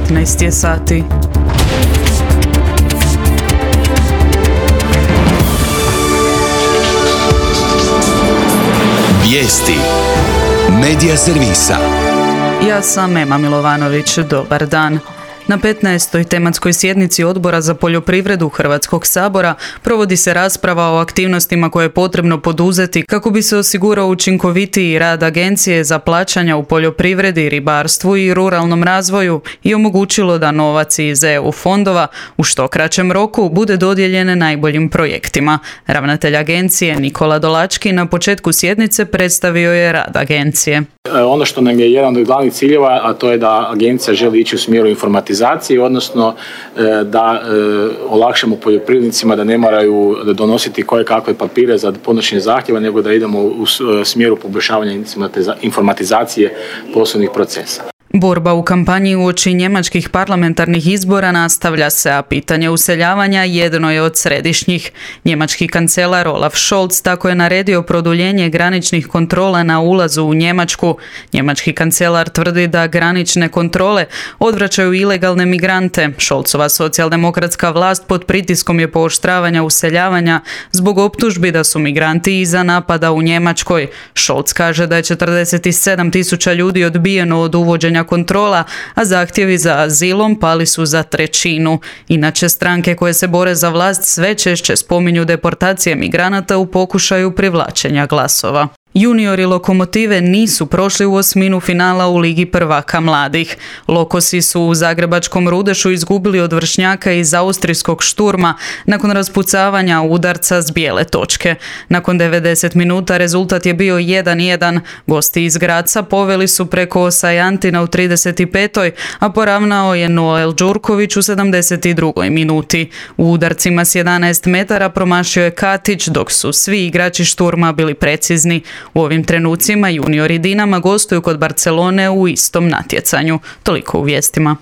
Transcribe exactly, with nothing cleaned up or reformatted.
petnaest je sati. Vijesti Medija servisa. Ja sam Ema Milovanović, dobar dan. Na petnaestoj tematskoj sjednici Odbora za poljoprivredu Hrvatskog sabora provodi se rasprava o aktivnostima koje je potrebno poduzeti kako bi se osigurao učinkovitiji rad Agencije za plaćanja u poljoprivredi, ribarstvu i ruralnom razvoju i omogućilo da novac iz E U fondova u što kraćem roku bude dodijeljen najboljim projektima. Ravnatelj agencije Nikola Dolački na početku sjednice predstavio je rad agencije. Ono što nam je jedan od glavnih ciljeva, a to je da agencija želi ići u smjeru informatizacije, odnosno da olakšamo poljoprivrednicima da ne moraju donositi koje kakve papire za podnošenje zahtjeva, nego da idemo u smjeru poboljšavanja informatizacije poslovnih procesa. Borba u kampanji uoči njemačkih parlamentarnih izbora nastavlja se, a pitanje useljavanja jedno je od središnjih. Njemački kancelar Olaf Scholz tako je naredio produljenje graničnih kontrola na ulazu u Njemačku. Njemački kancelar tvrdi da granične kontrole odvraćaju ilegalne migrante. Scholzova socijaldemokratska vlast pod pritiskom je pooštravanja useljavanja zbog optužbi da su migranti iza napada u Njemačkoj. Scholz kaže da je četrdeset sedam tisuća ljudi odbijeno od uvođenja kontrola, a zahtjevi za azilom pali su za trećinu. Inače, stranke koje se bore za vlast sve češće spominju deportacije migranata u pokušaju privlačenja glasova. Juniori Lokomotive nisu prošli u osminu finala u Ligi prvaka mladih. Lokosi su u zagrebačkom Rudešu izgubili od Vršnjaka iz austrijskog Šturma nakon raspucavanja udarca s bijele točke. Nakon devedeset minuta rezultat je bio jedan jedan. Gosti iz Graca poveli su preko Osajantina u trideset petoj a poravnao je Noel Đurković u sedamdeset drugoj minuti. U udarcima s jedanaest metara promašio je Katić, dok su svi igrači Šturma bili precizni. U ovim trenucima juniori Dinama gostuju kod Barcelone u istom natjecanju. Toliko u vijestima.